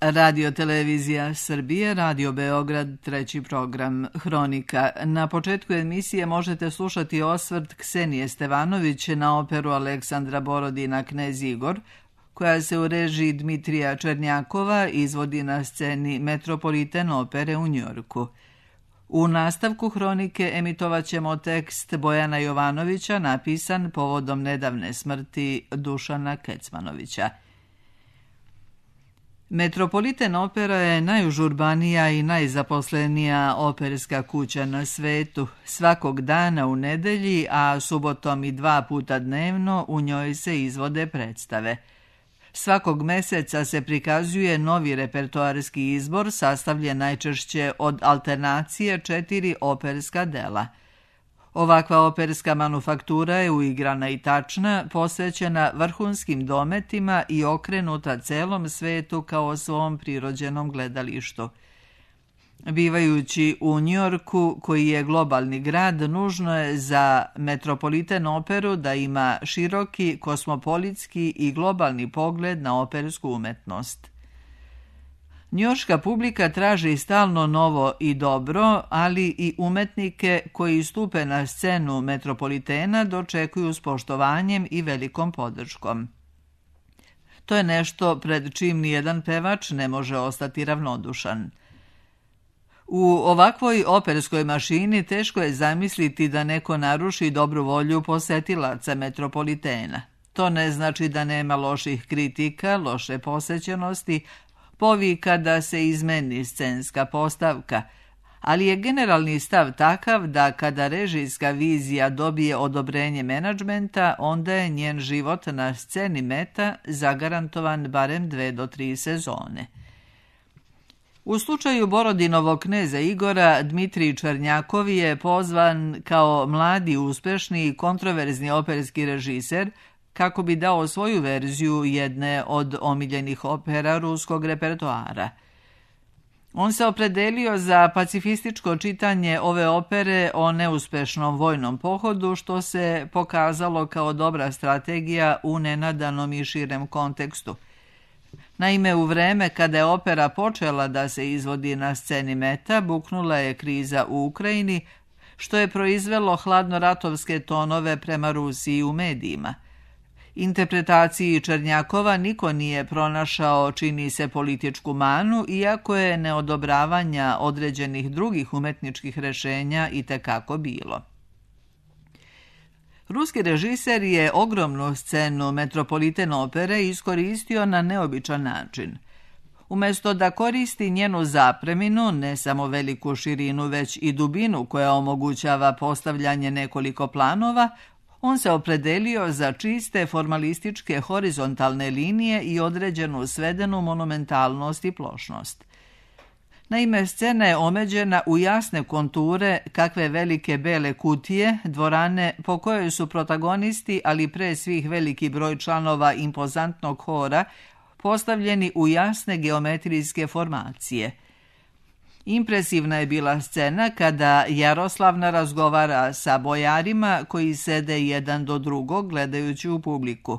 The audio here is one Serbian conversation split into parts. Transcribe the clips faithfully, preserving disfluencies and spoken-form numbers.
Radio Televizija Srbije, Radio Beograd, treći program Hronika. Na početku emisije možete slušati osvrt Ksenije Stevanović na operu Aleksandra Borodina Knez Igor, koja se u režiji Dmitrija Černjakova izvodi na sceni Metropolitan opere u Njujorku. U nastavku Hronike emitovat ćemo tekst Bojana Jovanovića napisan povodom nedavne smrti Dušana Kecmanovića. Metropolitan opera je najužurbanija i najzaposlenija operska kuća na svetu. Svakog dana u nedelji, a subotom i dva puta dnevno u njoj se izvode predstave. Svakog meseca se prikazuje novi repertoarski izbor sastavljen najčešće od alternacije četiri operska dela. Ovakva operska manufaktura je uigrana i tačna, posvećena vrhunskim dometima i okrenuta celom svetu kao svom prirođenom gledalištu. Bivajući u Njujorku, koji je globalni grad, nužno je za Metropolitan operu da ima široki, kosmopolitski i globalni pogled na opersku umetnost. Njujorška publika traži stalno novo i dobro, ali i umetnike koji stupe na scenu Metropolitena dočekuju s poštovanjem i velikom podrškom. To je nešto pred čim nijedan pevač ne može ostati ravnodušan. U ovakvoj operskoj mašini teško je zamisliti da neko naruši dobru volju posetilaca Metropolitena. To ne znači da nema loših kritika, loše posećenosti, povika da se izmeni scenska postavka, ali je generalni stav takav da kada režijska vizija dobije odobrenje menadžmenta, onda je njen život na sceni Meta zagarantovan barem dve do tri sezone. U slučaju Borodinovog Kneza Igora, Dmitrij Černjakov je pozvan kao mladi, uspešni i kontroverzni operski režiser kako bi dao svoju verziju jedne od omiljenih opera ruskog repertoara. On se opredelio za pacifističko čitanje ove opere o neuspešnom vojnom pohodu, što se pokazalo kao dobra strategija u nenadanom i širem kontekstu. Naime, u vreme kada je opera počela da se izvodi na sceni Meta, buknula je kriza u Ukrajini, što je proizvelo hladnoratovske tonove prema Rusiji u medijima. Interpretaciji Černjakova niko nije pronašao, čini se, političku manu, iako je neodobravanja određenih drugih umetničkih rešenja i tekako bilo. Ruski režiser je ogromnu scenu Metropolitan opere iskoristio na neobičan način. Umjesto da koristi njenu zapreminu, ne samo veliku širinu, već i dubinu koja omogućava postavljanje nekoliko planova, on se opredelio za čiste formalističke horizontalne linije i određenu svedenu monumentalnost i plošnost. Naime, scena je omeđena u jasne konture kakve velike bele kutije, dvorane po kojoj su protagonisti, ali pre svih veliki broj članova impozantnog hora, postavljeni u jasne geometrijske formacije. Impresivna je bila scena kada Jaroslavna razgovara sa bojarima koji sede jedan do drugog gledajući u publiku.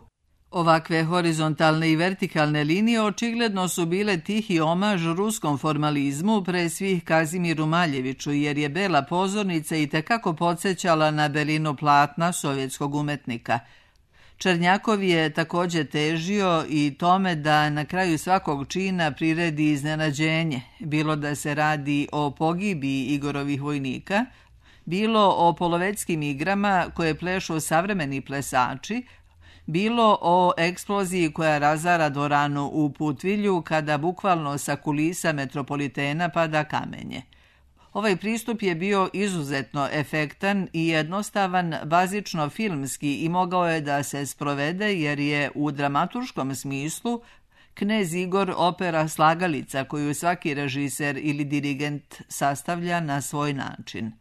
Ovakve horizontalne i vertikalne linije očigledno su bile tihi omaž ruskom formalizmu, pre svih Kazimiru Maljeviću, jer je bela pozornica i tekako podsjećala na belinu platna sovjetskog umetnika. Černjakov je također težio i tome da na kraju svakog čina priredi iznenađenje, bilo da se radi o pogibiji Igorovih vojnika, bilo o polovetskim igrama koje plešu savremeni plesači, bilo o eksploziji koja razara dvoranu u Putvilju kada bukvalno sa kulisa Metropolitena pada kamenje. Ovaj pristup je bio izuzetno efektan i jednostavan, bazično filmski i mogao je da se sprovede jer je u dramaturškom smislu Knez Igor opera slagalica koju svaki režiser ili dirigent sastavlja na svoj način.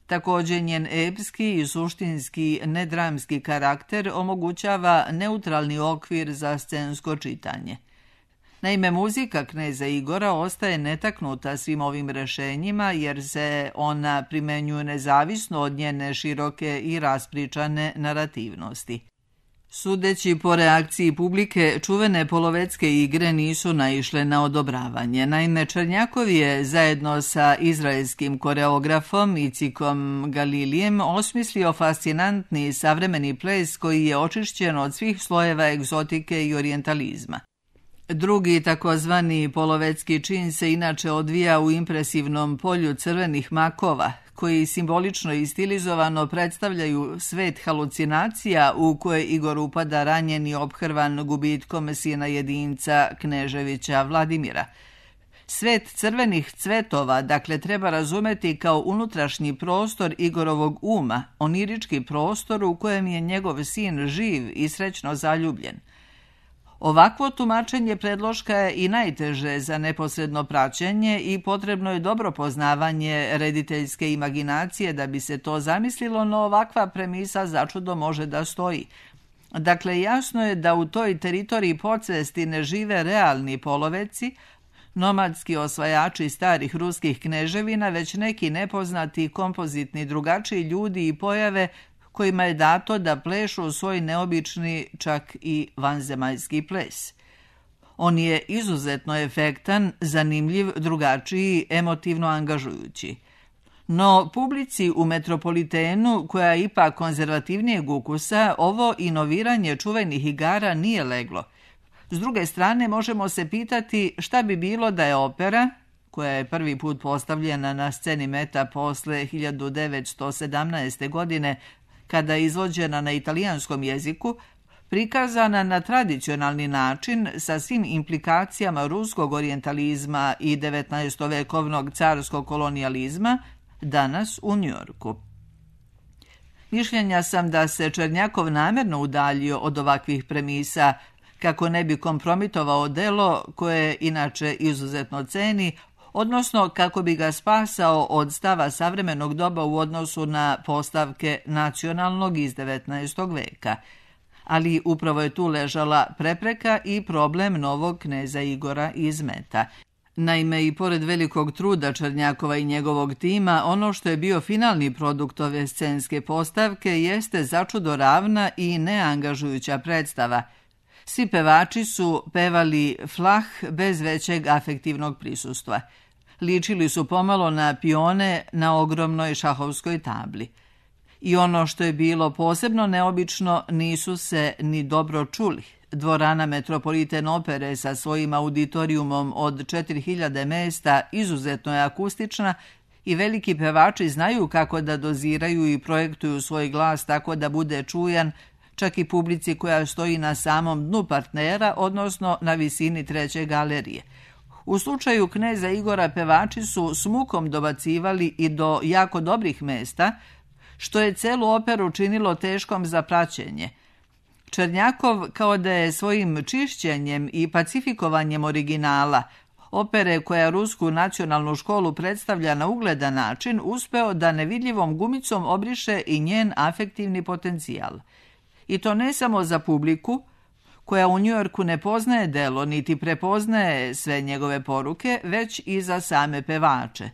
Također njen epski i suštinski nedramski karakter omogućava neutralni okvir za scensko čitanje. Naime, muzika Kneza Igora ostaje netaknuta svim ovim rešenjima jer se ona primenjuje nezavisno od njene široke i raspričane narativnosti. Sudeći po reakciji publike, čuvene polovetske igre nisu naišle na odobravanje. Naime, Černjakov je zajedno sa izraelskim koreografom Icikom Galilijem osmislio fascinantni savremeni ples koji je očišćen od svih slojeva egzotike i orijentalizma. Drugi takozvani polovetski čin se inače odvija u impresivnom polju crvenih makova, koji simbolično i stilizovano predstavljaju svet halucinacija u koje Igor upada ranjen i ophrvan gubitkom sina jedinca Kneževića Vladimira. Svet crvenih cvetova, dakle, treba razumeti kao unutrašnji prostor Igorovog uma, onirički prostor u kojem je njegov sin živ i srećno zaljubljen. Ovakvo tumačenje predloška je i najteže za neposredno praćenje i potrebno je dobro poznavanje rediteljske imaginacije da bi se to zamislilo, no ovakva premisa začudo može da stoji. Dakle, jasno je da u toj teritoriji podsvesti ne žive realni poloveci, nomadski osvajači starih ruskih kneževina, već neki nepoznati, kompozitni, drugačiji ljudi i pojave kojima je dato da plešu svoj neobični, čak i vanzemaljski ples. On je izuzetno efektan, zanimljiv, drugačiji, emotivno angažujući. No, publici u Metropolitenu, koja je ipak konzervativnijeg ukusa, ovo inoviranje čuvenih igara nije leglo. S druge strane, možemo se pitati šta bi bilo da je opera, koja je prvi put postavljena na sceni Meta posle hiljadu devetsto sedamnaeste. godine, kada je izvođena na italijanskom jeziku, prikazana na tradicionalni način sa svim implikacijama ruskog orijentalizma i devetnaestovekovnog carskog kolonijalizma, danas u Njujorku. Mišljenja sam da se Černjakov namjerno udaljio od ovakvih premisa kako ne bi kompromitovao delo koje inače izuzetno ceni, odnosno kako bi ga spasao od stava savremenog doba u odnosu na postavke nacionalnog iz devetnaestog. veka. Ali upravo je tu ležala prepreka i problem novog kneza Igora iz Meta. Naime, i pored velikog truda Černjakova i njegovog tima, ono što je bio finalni produkt ove scenske postavke jeste začudo ravna i neangažujuća predstava. Svi pevači su pevali flah bez većeg afektivnog prisustva. Ličili su pomalo na pione na ogromnoj šahovskoj tabli. I ono što je bilo posebno neobično, nisu se ni dobro čuli. Dvorana Metropoliten opere sa svojim auditorijumom od četiri hiljade mesta izuzetno je akustična i veliki pevači znaju kako da doziraju i projektuju svoj glas tako da bude čujan čak i publici koja stoji na samom dnu partnera, odnosno na visini treće galerije. U slučaju kneza Igora pevači su s mukom dobacivali i do jako dobrih mesta, što je celu operu činilo teškom za praćenje. Černjakov, kao da je svojim čišćenjem i pacifikovanjem originala, opere koja rusku nacionalnu školu predstavlja na ugledan način, uspeo da nevidljivom gumicom obriše i njen afektivni potencijal. I to ne samo za publiku, koja u Njujorku ne poznaje delo niti prepoznaje sve njegove poruke, već i za same pevače.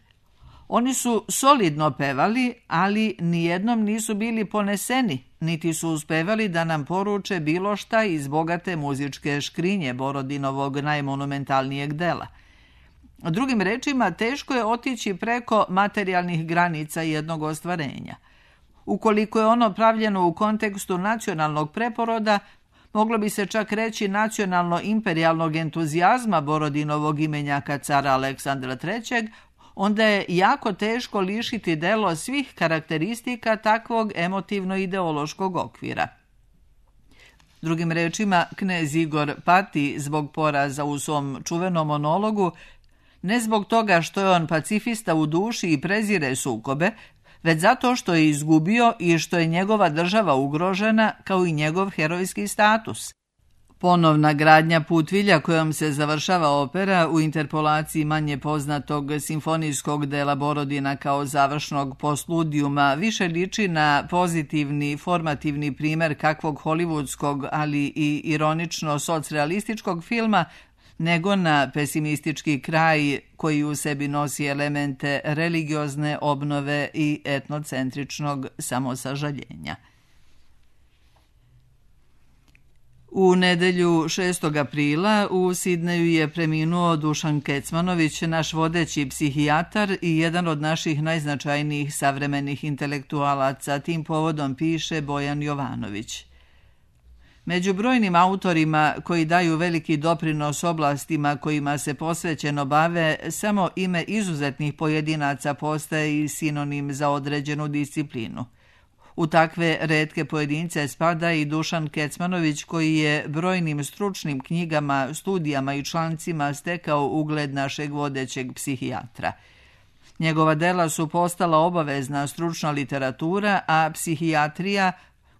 Oni su solidno pevali, ali nijednom nisu bili poneseni, niti su uspevali da nam poruče bilo šta iz bogate muzičke škrinje Borodinovog najmonumentalnijeg dela. Drugim rečima, teško je otići preko materijalnih granica jednog ostvarenja. Ukoliko je ono pravljeno u kontekstu nacionalnog preporoda, moglo bi se čak reći nacionalno-imperijalnog entuzijazma Borodinovog imenjaka cara Aleksandra trećeg, onda je jako teško lišiti delo svih karakteristika takvog emotivno-ideološkog okvira. Drugim rečima, knez Igor pati zbog poraza u svom čuvenom monologu, ne zbog toga što je on pacifista u duši i prezire sukobe, već zato što je izgubio i što je njegova država ugrožena, kao i njegov herojski status. Ponovna gradnja Putvilja kojom se završava opera u interpolaciji manje poznatog simfonijskog dela Borodina kao završnog postludijuma više liči na pozitivni, formativni primer kakvog hollywoodskog, ali i ironično socrealističkog filma, nego na pesimistički kraj koji u sebi nosi elemente religiozne obnove i etnocentričnog samosažaljenja. U nedelju šestog aprila u Sidneju je preminuo Dušan Kecmanović, naš vodeći psihijatar i jedan od naših najznačajnijih savremenih intelektualaca. Tim povodom piše Bojan Jovanović. Među brojnim autorima koji daju veliki doprinos oblastima kojima se posvećeno bave, samo ime izuzetnih pojedinaca postaje i sinonim za određenu disciplinu. U takve retke pojedince spada i Dušan Kecmanović, koji je brojnim stručnim knjigama, studijama i člancima stekao ugled našeg vodećeg psihijatra. Njegova dela su postala obavezna stručna literatura, a psihijatrija,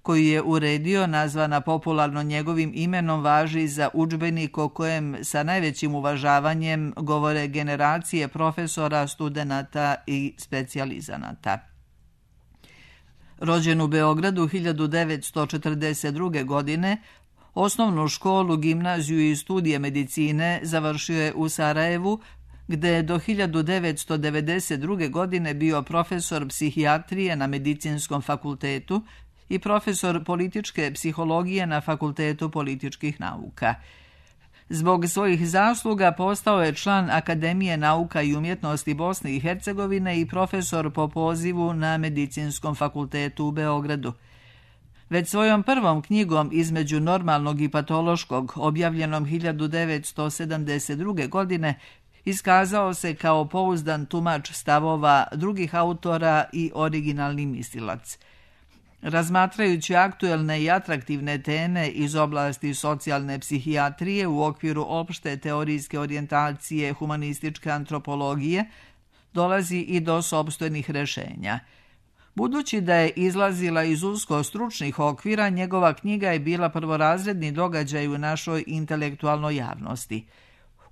koju je uredio, nazvana popularno njegovim imenom, važi za udžbenik o kojem sa najvećim uvažavanjem govore generacije profesora, studenata i specijalizanata. Rođen u Beogradu hiljadu devetsto četrdeset druge. godine, osnovnu školu, gimnaziju i studije medicine završio je u Sarajevu, gde je do hiljadu devetsto devedeset druge. godine bio profesor psihijatrije na Medicinskom fakultetu i profesor političke psihologije na Fakultetu političkih nauka. Zbog svojih zasluga postao je član Akademije nauka i umjetnosti Bosne i Hercegovine i profesor po pozivu na Medicinskom fakultetu u Beogradu. Već svojom prvom knjigom Između normalnog i patološkog, objavljenom hiljadu devetsto sedamdeset druge. godine, iskazao se kao pouzdan tumač stavova drugih autora i originalni mislilac. Razmatrajući aktuelne i atraktivne teme iz oblasti socijalne psihijatrije u okviru opšte teorijske orijentacije humanističke antropologije, dolazi i do sopstvenih rešenja. Budući da je izlazila iz usko stručnih okvira, njegova knjiga je bila prvorazredni događaj u našoj intelektualnoj javnosti.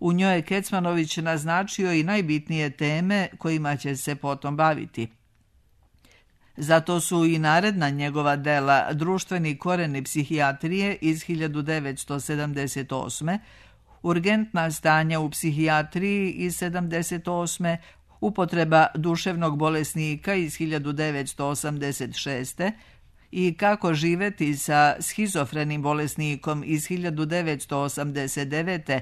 U njoj je Kecmanović naznačio i najbitnije teme kojima će se potom baviti. Zato su i naredna njegova dela Društveni koreni psihijatrije iz hiljadu devetsto sedamdeset osme, Urgentna stanja u psihijatriji iz sedamdeset osme, Upotreba duševnog bolesnika iz hiljadu devetsto osamdeset šeste. i Kako živeti sa schizofrenim bolesnikom iz hiljadu devetsto osamdeset devete.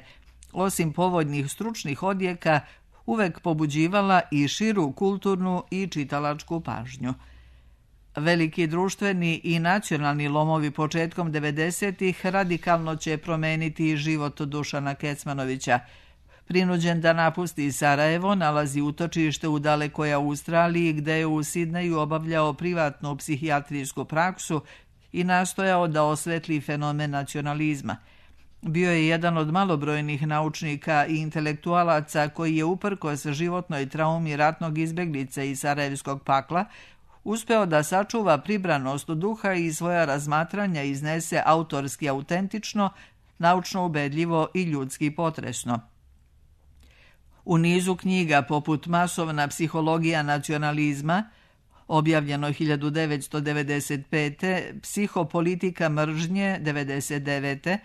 osim povoljnih stručnih odjeka, uvek pobuđivala i širu kulturnu i čitalačku pažnju. Veliki društveni i nacionalni lomovi početkom devedesetih radikalno će promeniti život Dušana Kecmanovića. Prinuđen da napusti Sarajevo, nalazi utočište u dalekoj Australiji, gde je u Sidneju obavljao privatnu psihijatrijsku praksu i nastojao da osvetli fenomen nacionalizma. Bio je jedan od malobrojnih naučnika i intelektualaca koji je uprkos životnoj traumi ratnog izbeglica i sarajevskog pakla uspeo da sačuva pribranost duha i svoja razmatranja iznese autorski autentično, naučno ubedljivo i ljudski potresno. U nizu knjiga poput Masovna psihologija nacionalizma, objavljeno hiljadu devetsto devedeset pete. Psihopolitika mržnje devedeset devete.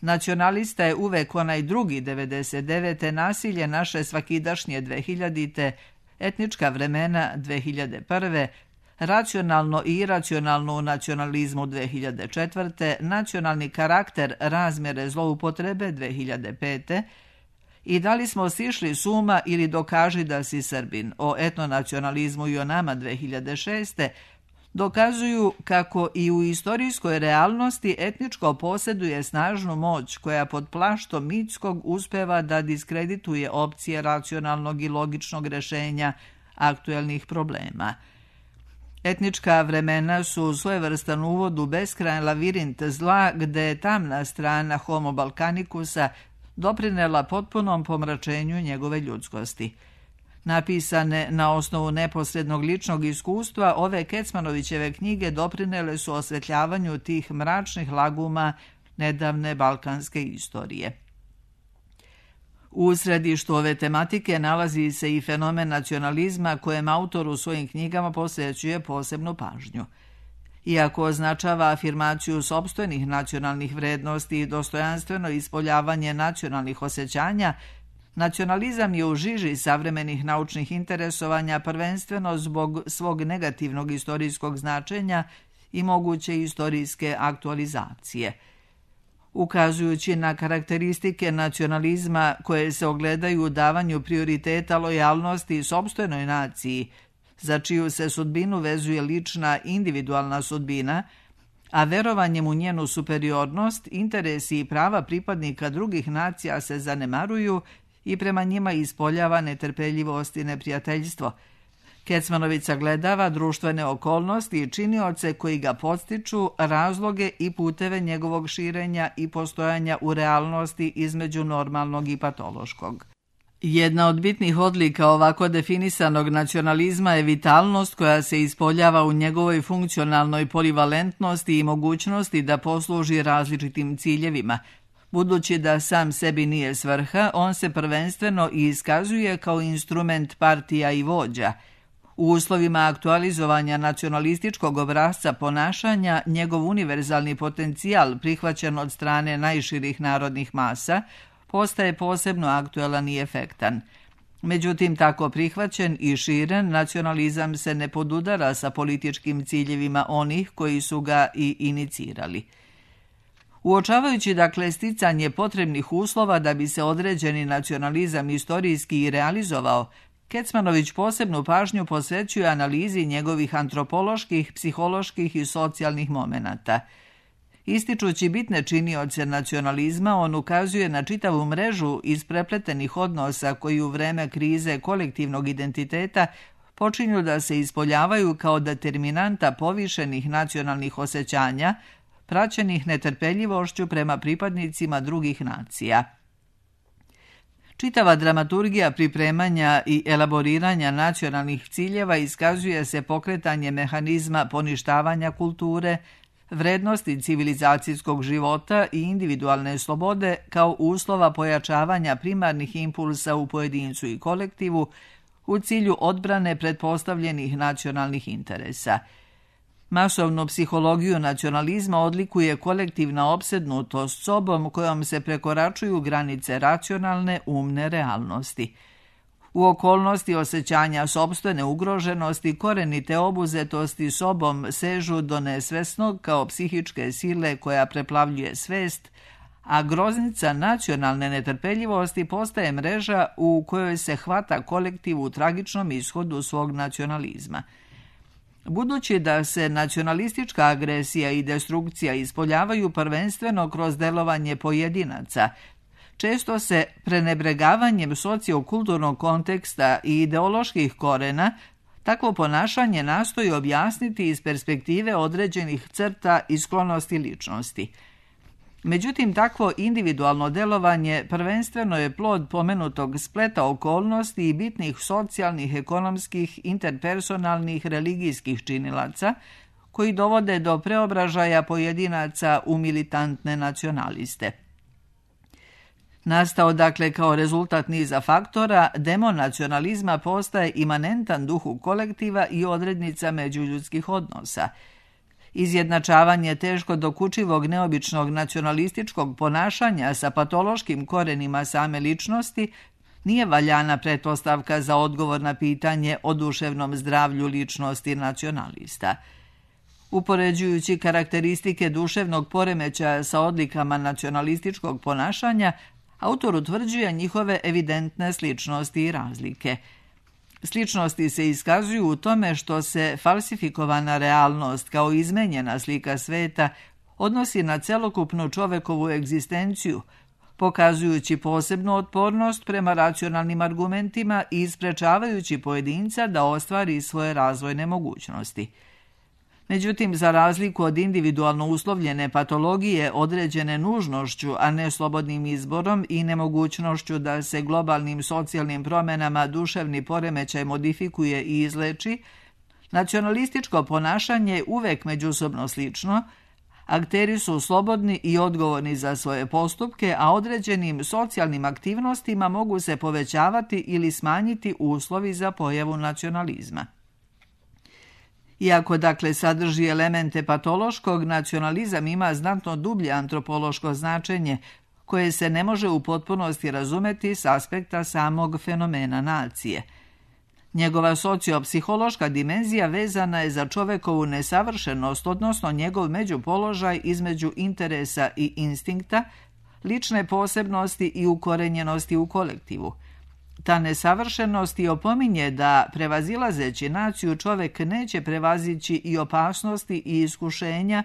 Nacionalista je uvek onaj drugi devedeset devete. Nasilje naše svakidašnje dve hiljadite. Etnička vremena dve hiljade prve. Racionalno i iracionalno u nacionalizmu dve hiljade četvrte. Nacionalni karakter razmjere zloupotrebe dve hiljade pete. I da li smo sišli s uma ili dokaži da si Srbin, o etnonacionalizmu i o nama dve hiljade šeste. dokazuju kako i u istorijskoj realnosti etničko posjeduje snažnu moć koja pod plaštom mitskog uspeva da diskredituje opcije racionalnog i logičnog rešenja aktuelnih problema. Etnička vremena su svojevrstan uvod u beskrajan lavirint zla, gde je tamna strana Homo Balkanikusa doprinela potpunom pomračenju njegove ljudskosti. Napisane na osnovu neposrednog ličnog iskustva, ove Kecmanovićeve knjige doprinele su osvetljavanju tih mračnih laguma nedavne balkanske istorije. U središtu ove tematike nalazi se i fenomen nacionalizma kojem autor u svojim knjigama posvećuje posebnu pažnju. Iako označava afirmaciju sopstvenih nacionalnih vrednosti i dostojanstveno ispoljavanje nacionalnih osjećanja, nacionalizam je u žiži savremenih naučnih interesovanja prvenstveno zbog svog negativnog istorijskog značenja i moguće istorijske aktualizacije. ukazujući na karakteristike nacionalizma koje se ogledaju u davanju prioriteta lojalnosti sopstvenoj naciji, za čiju se sudbinu vezuje lična individualna sudbina, a verovanjem u njenu superiornost, interesi i prava pripadnika drugih nacija se zanemaruju i prema njima ispoljava netrpeljivost i neprijateljstvo. Kecmanović sagledava društvene okolnosti i činioce koji ga podstiču, razloge i puteve njegovog širenja i postojanja u realnosti između normalnog i patološkog. Jedna od bitnih odlika ovako definisanog nacionalizma je vitalnost koja se ispoljava u njegovoj funkcionalnoj polivalentnosti i mogućnosti da posluži različitim ciljevima. Budući da sam sebi nije svrha, on se prvenstveno i iskazuje kao instrument partija i vođa. U uslovima aktualizovanja nacionalističkog obrasca ponašanja, njegov univerzalni potencijal, prihvaćen od strane najširih narodnih masa, postaje posebno aktuelan i efektan. Međutim, tako prihvaćen i širen, nacionalizam se ne podudara sa političkim ciljevima onih koji su ga i inicirali. Uočavajući dakle sticanje potrebnih uslova da bi se određeni nacionalizam istorijski i realizovao, Kecmanović posebnu pažnju posvećuje analizi njegovih antropoloških, psiholoških i socijalnih momenata. Ističući bitne činioce nacionalizma, on ukazuje na čitavu mrežu isprepletenih odnosa koji u vreme krize kolektivnog identiteta počinju da se ispoljavaju kao determinanta povišenih nacionalnih osjećanja, praćenih netrpeljivošću prema pripadnicima drugih nacija. Čitava dramaturgija pripremanja i elaboriranja nacionalnih ciljeva iskazuje se pokretanje mehanizma poništavanja kulture, vrednosti civilizacijskog života i individualne slobode kao uslova pojačavanja primarnih impulsa u pojedincu i kolektivu u cilju odbrane pretpostavljenih nacionalnih interesa. Masovnu psihologiju nacionalizma odlikuje kolektivna opsednutost sobom kojom se prekoračuju granice racionalne, umne realnosti. U okolnosti osjećanja sopstvene ugroženosti, korenite obuzetosti sobom sežu do nesvesnog kao psihičke sile koja preplavljuje svest, a groznica nacionalne netrpeljivosti postaje mreža u kojoj se hvata kolektiv u tragičnom ishodu svog nacionalizma. Budući da se nacionalistička agresija i destrukcija ispoljavaju prvenstveno kroz delovanje pojedinaca, često se prenebregavanjem sociokulturnog konteksta i ideoloških korena takvo ponašanje nastoji objasniti iz perspektive određenih crta i sklonosti ličnosti. Međutim, takvo individualno delovanje prvenstveno je plod pomenutog spleta okolnosti i bitnih socijalnih, ekonomskih, interpersonalnih, religijskih činilaca, koji dovode do preobražaja pojedinaca u militantne nacionaliste. Nastao dakle kao rezultat niza faktora, demon nacionalizma postaje imanentan duhu kolektiva i odrednica međuljudskih odnosa. Izjednačavanje teško dokučivog neobičnog nacionalističkog ponašanja sa patološkim korenima same ličnosti nije valjana pretpostavka za odgovor na pitanje o duševnom zdravlju ličnosti nacionalista. Upoređujući karakteristike duševnog poremećaja sa odlikama nacionalističkog ponašanja, autor utvrđuje njihove evidentne sličnosti i razlike. Sličnosti se iskazuju u tome što se falsifikovana realnost kao izmenjena slika sveta odnosi na celokupnu čovekovu egzistenciju, pokazujući posebnu otpornost prema racionalnim argumentima i isprečavajući pojedinca da ostvari svoje razvojne mogućnosti. Međutim, za razliku od individualno uslovljene patologije određene nužnošću, a ne slobodnim izborom i nemogućnošću da se globalnim socijalnim promjenama duševni poremećaj modifikuje i izleči, nacionalističko ponašanje je uvek međusobno slično, akteri su slobodni i odgovorni za svoje postupke, a određenim socijalnim aktivnostima mogu se povećavati ili smanjiti uslovi za pojavu nacionalizma. Iako dakle sadrži elemente patološkog, nacionalizam ima znatno dublje antropološko značenje, koje se ne može u potpunosti razumeti s aspekta samog fenomena nacije. Njegova sociopsihološka dimenzija vezana je za čovekovu nesavršenost, odnosno njegov međupoložaj između interesa i instinkta, lične posebnosti i ukorenjenosti u kolektivu. Ta nesavršenost i opominje da, prevazilazeći naciju, čovek neće prevazići i opasnosti i iskušenja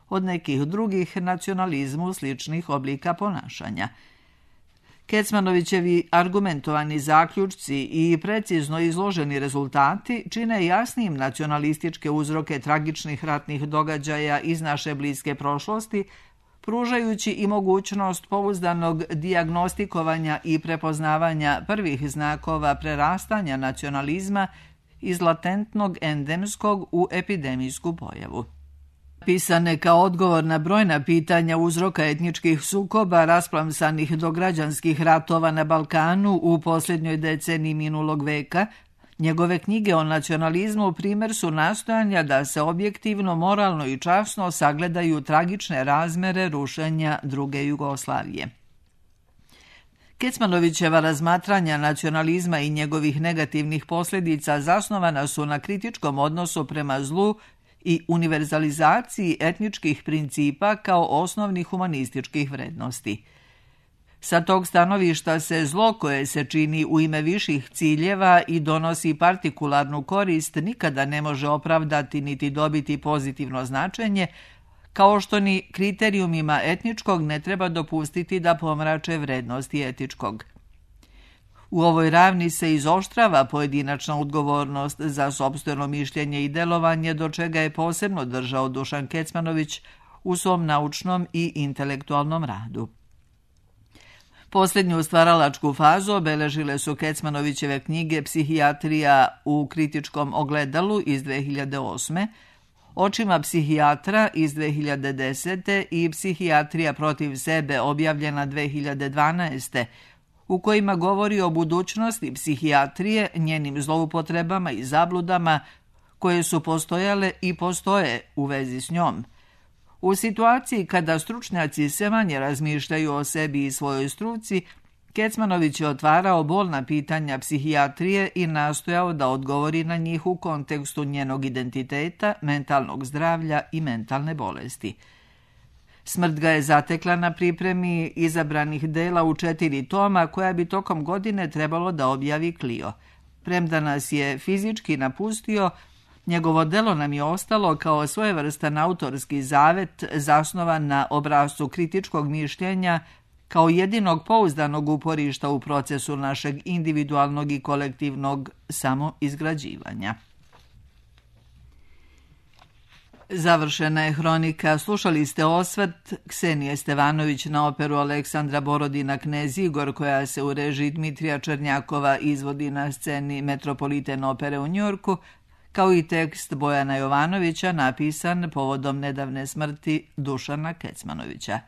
od nekih drugih nacionalizmu sličnih oblika ponašanja. Kecmanovićevi argumentovani zaključci i precizno izloženi rezultati čine jasnim nacionalističke uzroke tragičnih ratnih događaja iz naše bliske prošlosti, pružajući i mogućnost pouzdanog dijagnostikovanja i prepoznavanja prvih znakova prerastanja nacionalizma iz latentnog endemskog u epidemijsku pojavu. Pisane kao odgovor na brojna pitanja uzroka etničkih sukoba rasplamsanih do građanskih ratova na Balkanu u posljednjoj deceniji minulog veka, njegove knjige o nacionalizmu primjer su nastojanja da se objektivno, moralno i časno sagledaju tragične razmere rušenja druge Jugoslavije. Kecmanovićeva razmatranja nacionalizma i njegovih negativnih posljedica zasnovana su na kritičkom odnosu prema zlu i univerzalizaciji etničkih principa kao osnovnih humanističkih vrednosti. Sa tog stanovišta se zlo koje se čini u ime viših ciljeva i donosi partikularnu korist nikada ne može opravdati niti dobiti pozitivno značenje, kao što ni kriterijumima etničkog ne treba dopustiti da pomrače vrednosti etičkog. U ovoj ravni se izoštrava pojedinačna odgovornost za sopstveno mišljenje i delovanje, do čega je posebno držao Dušan Kecmanović u svom naučnom i intelektualnom radu. Posljednju stvaralačku fazu obeležile su Kecmanovićeve knjige Psihijatrija u kritičkom ogledalu iz dve hiljade osme, Očima psihijatra iz dve hiljade desete i Psihijatrija protiv sebe objavljena dve hiljade dvanaeste, u kojima govori o budućnosti psihijatrije, njenim zloupotrebama i zabludama koje su postojale i postoje u vezi s njom. U situaciji kada stručnjaci sve manje razmišljaju o sebi i svojoj struci, Kecmanović je otvarao bolna pitanja psihijatrije i nastojao da odgovori na njih u kontekstu njenog identiteta, mentalnog zdravlja i mentalne bolesti. Smrt ga je zatekla na pripremi izabranih dela u četiri toma koja bi tokom godine trebalo da objavi Clio. Premda nas je fizički napustio, njegovo delo nam je ostalo kao svojevrstan autorski zavet zasnovan na obrascu kritičkog mišljenja kao jedinog pouzdanog uporišta u procesu našeg individualnog i kolektivnog samoizgrađivanja. Završena je hronika. Slušali ste osvrt Ksenije Stevanović na operu Aleksandra Borodina Knez Igor, koja se u režiji Dmitrija Černjakova izvodi na sceni Metropolitan opere u Njujorku, kao i tekst Bojana Jovanovića napisan povodom nedavne smrti Dušana Kecmanovića.